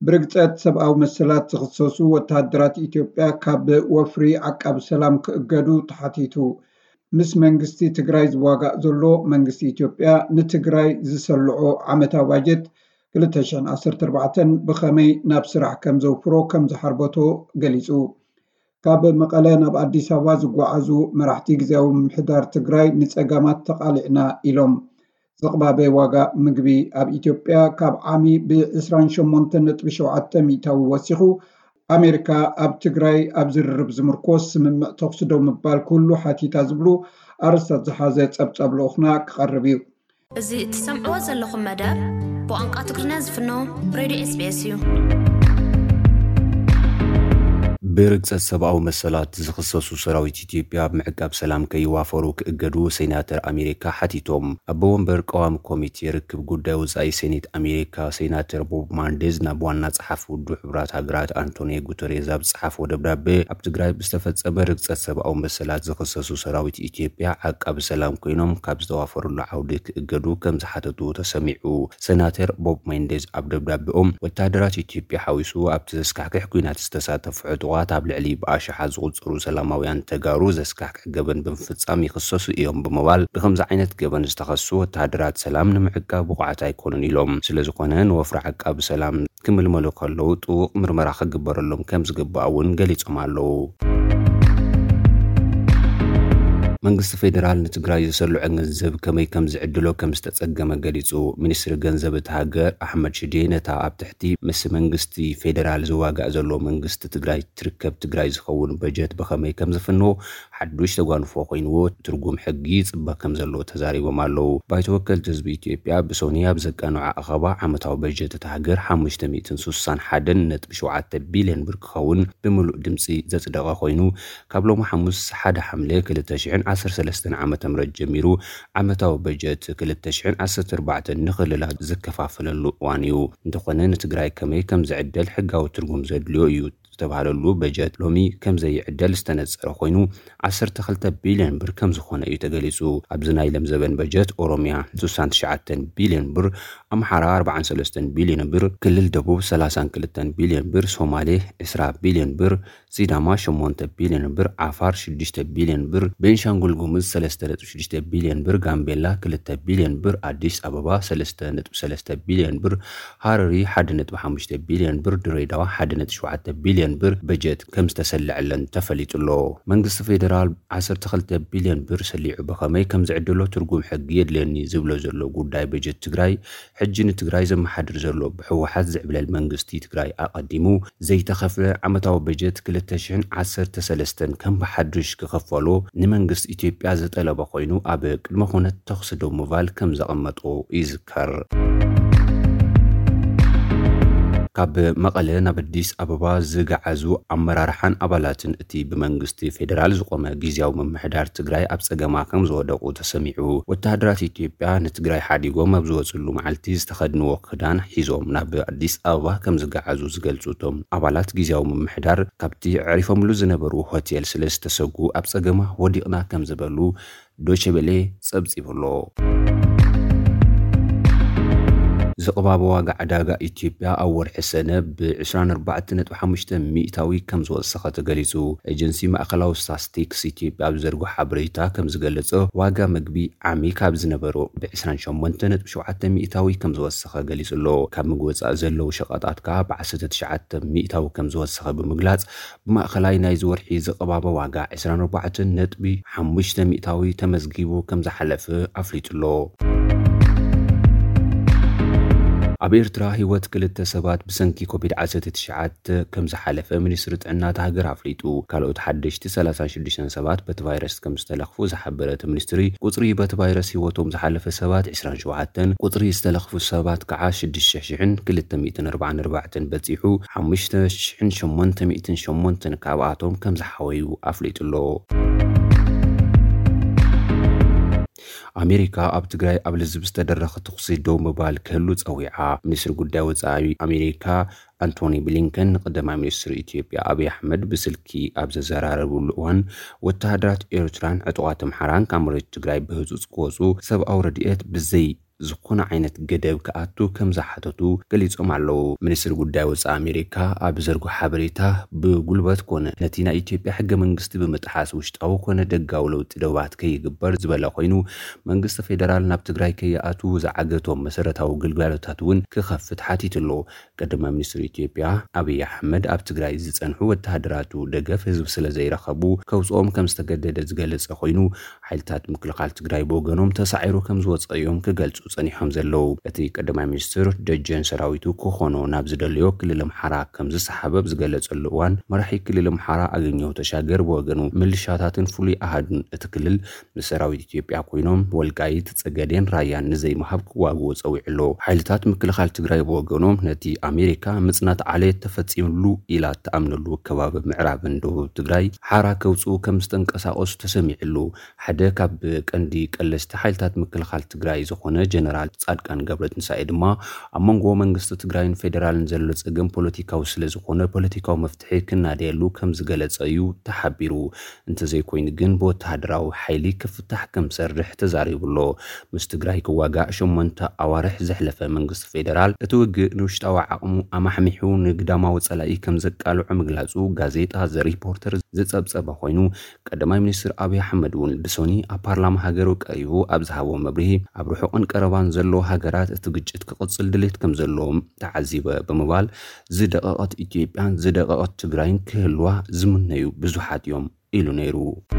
ብርግጸት ሰብኣዊ መሰላት ዝኽሰሱ ወተሃደራት ኢትዮጵያ ካብ ወፍሪ ዓቃቢ ሰላም ክእገዱ ተሓቲቱ። ምስ መንግስቲ ትግራይ ዝዋጋእ ዘሎ መንግስቲ ኢትዮጵያ ንትግራይ ዝሰልዖ ዓመታዊ ባጀት ክልተ ሽሕን ዓሰርተ ኣርባዕተን ብኸመይ ናብ ስራሕ ከም ዘውፍሮ ከም ዝሓርበቶ ገሊጹ። ካብ መቐለ ናብ ኣዲስ ኣበባ ዝጓዓዙ መራሕቲ ግዝያዊ ምምሕዳር ትግራይ ንጸጋማት ተቓሊዕና ኢሎም። ዝቕባበ ዋጋ ምግቢ ኣብ ኢትዮጵያ ካብ ዓሚ ብ28.7% ወሲኹ። ኣሜሪካ ኣብ ትግራይ ኣብ ዝርርብ ዝምርኮስ ስምምዕ ተኹሲ ደው ምባል ክህሉ ሓቲታ ዝብሉ ኣርእስታት ዝሓዘ ጸብጻብ ልኡኽና ክቐርብ እዩ። እዚ እትሰምዕዎ ዘለኹም መደብ ብቋንቋ ትግርኛ ዝፍኖ ሬድዮ ኤስቢኤስ እዩ። ብርግጸት ሰብኣዊ መሰላት ዝኽሰሱ ሰራዊት ኢትዮጵያ ኣብ ምዕቃብ ሰላም ከይዋፈሩ ክእገዱ ሴናተር ኣሜሪካ ሓቲቶም። ኣቦ ወንበር ቀዋሚ ኮሚቴ ርክብ ጉዳይ ወጻኢ ሴኔት ኣሜሪካ ሴናተር ቦብ ማንዴዝ ናብ ዋና ጸሓፊ ውድብ ሕቡራት ሃገራት ኣንቶኒዮ ጉተሬዝ ኣብ ዝጸሓፍዎ ደብዳቤ፣ ኣብ ትግራይ ብዝተፈጸመ ርግጸት ሰብኣዊ መሰላት ዝኽሰሱ ሰራዊት ኢትዮጵያ ዓቃቢ ሰላም ኮይኖም ካብ ዝተዋፈሩሉ ዓውዲ ክእገዱ ከም ዝሓተቱ ተሰሚዑ። ሴናተር ቦብ ማንዴዝ ኣብ ደብዳቤኦም፣ ወታደራት ኢትዮጵያ ሓዊሱ ኣብቲ ዘስካሕክሕ ኲናት ዝተሳተፉ ዕጡቓት ኣብ ልዕሊ ብኣሽሓት ዝቑጸሩ ሰላማውያን ተጋሩ ዘስካሕክሕ ገበን ብምፍጻም ይኽሰሱ እዮም ብምባል፣ ብኸምዚ ዓይነት ገበን ዝተኸሱ ወታደራት ሰላም ንምዕቃብ ብቑዓት ኣይኮኑን ኢሎም። ስለዝኾነ ንወፍሪ ዓቃቢ ሰላም ክምልመሉ ከለዉ ጥቡቕ ምርመራ ክግበረሎም ከም ዝግባእ እውን ገሊጾም ኣለዉ። መንግስቲ ፌደራል ንትግራይ ዝሰልዖ ገንዘብ ከመይ ከም ዝዕድሎ ከም ዝተጸገመ ገሊጹ። ሚኒስትሪ ገንዘብ እታ ሃገር ኣሕመድ ሽዴ ነታ ኣብ ትሕቲ ምስ መንግስቲ ፌደራል ዝዋጋእ ዘሎ መንግስቲ ትግራይ ትርከብ ትግራይ ዝኸውን በጀት ብኸመይ ከም ዝፍንዎ ሓዱሽ ተጓንፎ ኮይንዎ ትርጉም ሕጊ ይጽበ ከም ዘሎ ተዛሪቦም ኣለዉ። ባይቶ ወከልቲ ህዝቢ ኢትዮጵያ ብሶኒ ኣብ ዘቃንዖ ኣኸባ ዓመታዊ በጀት እታ ሃገር ሓሙሽተ ሚእትን ስሳን ሓደን ነጥቢ ሸውዓተ ቢልዮን ብር ክኸውን ብምሉእ ድምጺ ዘጽደቐ ኮይኑ፣ ካብ ሎሚ ሓሙስ ሓደ ሓምለ ክልተ ሽሕን ዓሰርተ ሰለስተን ዓመተ ምህረት ጀሚሩ ዓመታዊ በጀት ክልተ ሽሕን ዓሰርተ ኣርባዕተን ንክልላት ዝከፋፈለሉ እዋን እዩ። እንተኾነ ንትግራይ ከመይ ከም ዝዕደል ሕጋዊ ትርጉም ዘድልዮ እዩ ዝተባህለሉ በጀት ሎሚ ከም ዘይዕደል ዝተነጸረ ኮይኑ ዓሰርተ ክልተ ቢልዮን ብር ከም ዝኾነ እዩ ተገሊጹ። ኣብዚ ናይ ለምዘበን በጀት ኦሮሚያ ስሳን ትሽዓተን ቢልዮን ብር፣ ኣምሓራ ኣርባዓን ሰለስተን ቢልዮን ብር፣ ክልል ደቡብ ሰላሳን ክልተን ቢልዮን ብር፣ ሶማሌ ዕስራ ቢልዮን ብር፣ ሲዳማ ሸሞንተ ቢልዮን ብር፣ ዓፋር ሽዱሽተ ቢልዮን ብር፣ ቤንሻንጉል ጉሙዝ ሰለስተ ነጥቢ ሽዱሽተ ቢልዮን ብር፣ ጋምቤላ ክልተ ቢልዮን ብር፣ ኣዲስ ኣበባ ሰለስተ ነጥቢ ሰለስተ ቢልዮን ብር፣ ሃረሪ ሓደ ነጥቢ ሓሙሽተ ቢልዮን ብር፣ ድሬዳዋ ሓደ ነጥቢ ሸውዓተ ቢልዮን ብር በጀት ከም ዝተሰለዐለን ተፈሊጡ ኣሎ። መንግስቲ ፌደራል ዓሰርተ ክልተ ቢልዮን ብር ሰሊዑ ብኸመይ ከም ዝዕድሎ ትርጉም ሕጊ የድልየኒ ዝብሎ ዘሎ ጉዳይ በጀት ትግራይ ሕጂ ንትግራይ ዘመሓድር ዘሎ ብህወሓት ዝዕብለል መንግስቲ ትግራይ ኣቐዲሙ ዘይተኸፍለ ዓመታዊ በጀት ክልተ ሽሕን ዓሰርተ ሰለስተን ከም ብሓዱሽ ክኸፈሎ ንመንግስቲ ኢትዮጵያ ዝጠለበ ኮይኑ ኣብ ቅድመ ኩነት ተኹሲ ደው ምባል ከም ዘቐመጦ ይዝከር። ካብ መቐለ ናብ ኣዲስ ኣበባ ዝገዓዙ ኣመራርሓን ኣባላትን እቲ ብመንግስቲ ፌደራል ዝቆመ ግዝያዊ ምምሕዳር ትግራይ ኣብ ጸገማ ከም ዝወደቑ ተሰሚዑ። ወተሃደራት ኢትዮጵያ ንትግራይ ሓዲጎም ኣብ ዝወፅሉ መዓልቲ ዝተኸድንዎ ክዳን ሒዞም ናብ ኣዲስ ኣበባ ከም ዝገዓዙ ዝገልፁ እቶም ኣባላት ግዝያዊ ምምሕዳር፣ ካብቲ ኣዕሪፎምሉ ዝነበሩ ሆቴል ስለ ዝተሰጉ ኣብ ጸገማ ወዲቕና ከም ዝበሉ ዶቼ ቬለ ጸብጺቡ ኣሎ። ዝቕባበ ዋጋ ዕዳጋ ኢትዮጵያ ኣብ ወርሒ ሰነ ብ ዕስራን ኣርባዕተን ነጥቢ ሓሙሽተ ሚእታዊ ከም ዝወሰኸ ተገሊጹ። ኤጀንሲ ማእከላዊ ስታስቲክስ ኢትዮጵያ ኣብ ዘርግሖ ሓበሬታ ከም ዝገለጸ፣ ዋጋ ምግቢ ዓሚ ካብ ዝነበሮ ብ ዕስራን ሸሞንተን ነጥቢ ሸውዓተ ሚእታዊ ከም ዝወሰኸ ገሊጹ ኣሎ። ካብ ምግቢ ወጻኢ ዘለዉ ሸቐጣት ከኣ ብ ዓሰርተ ትሽዓተ ሚእታዊ ከም ዝወሰኸ ብምግላጽ፣ ብማእኸላይ ናይዚ ወርሒ ዝቕባበ ዋጋ ዕስራን ኣርባዕተን ነጥቢ ሓሙሽተ ሚእታዊ ተመዝጊቡ ከም ዝሓለፈ ኣፍሊጡ ኣሎ። ኣብ ኤርትራ ህይወት ክልተ ሰባት ብሰንኪ ኮቪድ ዓሰርተ ትሽዓተ ከም ዝሓለፈ ሚኒስትሪ ጥዕና እታ ሃገር ኣፍሊጡ። ካልኦት ሓደሽቲ ሰላሳን ሽዱሽተን ሰባት በቲ ቫይረስ ከም ዝተለኽፉ ዝሓበረ እቲ ሚኒስትሪ፣ ቁጽሪ በቲ ቫይረስ ህይወቶም ዝሓለፈ ሰባት ዕስራን ሸውዓተን፣ ቁጽሪ ዝተለኽፉ ሰባት ከዓ ሽዱሽተ ሽሕን ክልተ ሚእትን ኣርባዓን ኣርባዕተን በጺሑ፣ ሓሙሽተ ሽሕን ሸሞንተ ሚእትን ሸሞንተን ካብኣቶም ከም ዝሓወዩ ኣፍሊጡ ኣሎ። ኣሜሪካ ኣብ ትግራይ ኣብ ልዝብ ዝተደረኸ ተኹሲ ደው ምባል ክህሉ ጸዊዓ። ሚኒስትሪ ጉዳይ ወጻኢ ኣሜሪካ ኣንቶኒ ብሊንከን ንቀዳማይ ሚኒስትር ኢትዮጵያ ኣብይ ኣሕመድ ብስልኪ ኣብ ዘዘራረብሉ እዋን፣ ወተሃደራት ኤርትራን ዕጡቓት ኣምሓራን ካብ መሬት ትግራይ ብህጹጽ ክወጹ፣ ሰብኣዊ ረድኤት ብዘይ ዝኾነ ዓይነት ገደብ ክኣቱ ከም ዝሓተቱ ገሊጾም ኣለዉ። ሚኒስትሪ ጉዳይ ወጻኢ ኣሜሪካ ኣብ ዘርግሖ ሓበሬታ፣ ብጉልበት ኮነ ነቲ ናይ ኢትዮጵያ ሕገ መንግስቲ ብምጥሓስ ውሽጣዊ ኮነ ደጋዊ ለውጢ ደባት ከይግበር ዝበለ ኮይኑ፣ መንግስቲ ፌደራል ናብ ትግራይ ከይኣትዉ ዝዓገቶም መሰረታዊ ግልጋሎታት እውን ክኸፍት ሓቲቱ ኣሎ። ቀዳማይ ሚኒስትር ኢትዮጵያ ኣብይ ኣሕመድ ኣብ ትግራይ ዝጸንሑ ወተሃደራቱ ደገፍ ህዝቢ ስለ ዘይረኸቡ ከውጽኦም ከም ዝተገደደ ዝገለጸ ኮይኑ፣ ሓይልታት ምክልኻል ትግራይ ብወገኖም ተሳዒሩ ከም ዝወጸ እዮም ክገልጹ ጸኒሖም ዘለዉ። እቲ ቀዳማይ ሚኒስትር ደጀን ሰራዊቱ ክኾኖ ናብ ዝደለዮ ክልል ኣምሓራ ከም ዝሰሓበ ኣብ ዝገለጸሉ እዋን፣ መራሒ ክልል ኣምሓራ ኣገኘሁ ተሻገር ብወገኑ ምልሻታትን ፍሉይ ኣሃዱን እቲ ክልል ምስ ሰራዊት ኢትዮጵያ ኮይኖም ወልቃይት፣ ጸገዴን ራያን ንዘይምሃብ ክዋግኡ ጸዊዑ ኣሎ። ሓይልታት ምክልኻል ትግራይ ብወገኖም ነቲ ኣሜሪካ ምጽናት ዓሌት ተፈጺምሉ ኢላ እትኣምነሉ ከባቢ ምዕራብን ደቡብ ትግራይ ሓራ ከውጽኡ ከም ዝተንቀሳቐሱ ተሰሚዑ ኣሎ። ሓደ ካብ ቀንዲ ቀለስቲ ሓይልታት ምክልኻል ትግራይ ዝኾነ ጀነራል ጻድቃን ገብረትንሳኤ ድማ ኣብ መንጎ መንግስቲ ትግራይን ፌደራልን ዘሎ ጸገም ፖለቲካዊ ስለ ዝኾነ ፖለቲካዊ መፍትሒ ክናደየሉ ከም ዝገለጸ እዩ ተሓቢሩ። እንተዘይኮይኑ ግን ብወተሃደራዊ ሓይሊ ክፍታሕ ከም ዝሰርሕ ተዛሪቡ ኣሎ። ምስ ትግራይ ክዋጋእ ሸሞንተ ኣዋርሕ ዘሕለፈ መንግስቲ ፌደራል እቲ ውግእ ንውሽጣዊ ዓቕሙ ኣማሕሚሑ ንግዳማዊ ጸላኢ ከም ዘቃልዖ ምግላጹ ጋዜጣ ዘ ሪፖርተር ዝጸብጸበ ኮይኑ፣ ቀዳማይ ሚኒስትር ኣብይ ኣሕመድ እውን ብሶኒ ኣብ ፓርላማ ሃገሩ ቀሪቡ ኣብ ዝሃቦ መብርሂ፣ ኣብ ርሑቕን ቀረባን ዘለዉ ሃገራት እቲ ግጭት ክቕጽል ድሌት ከም ዘለዎም ተዓዚበ ብምባል፣ ዝደቐቐት ኢትዮጵያን ዝደቐቐት ትግራይን ክህልዋ ዝምነዩ ብዙሓት እዮም ኢሉ ነይሩ።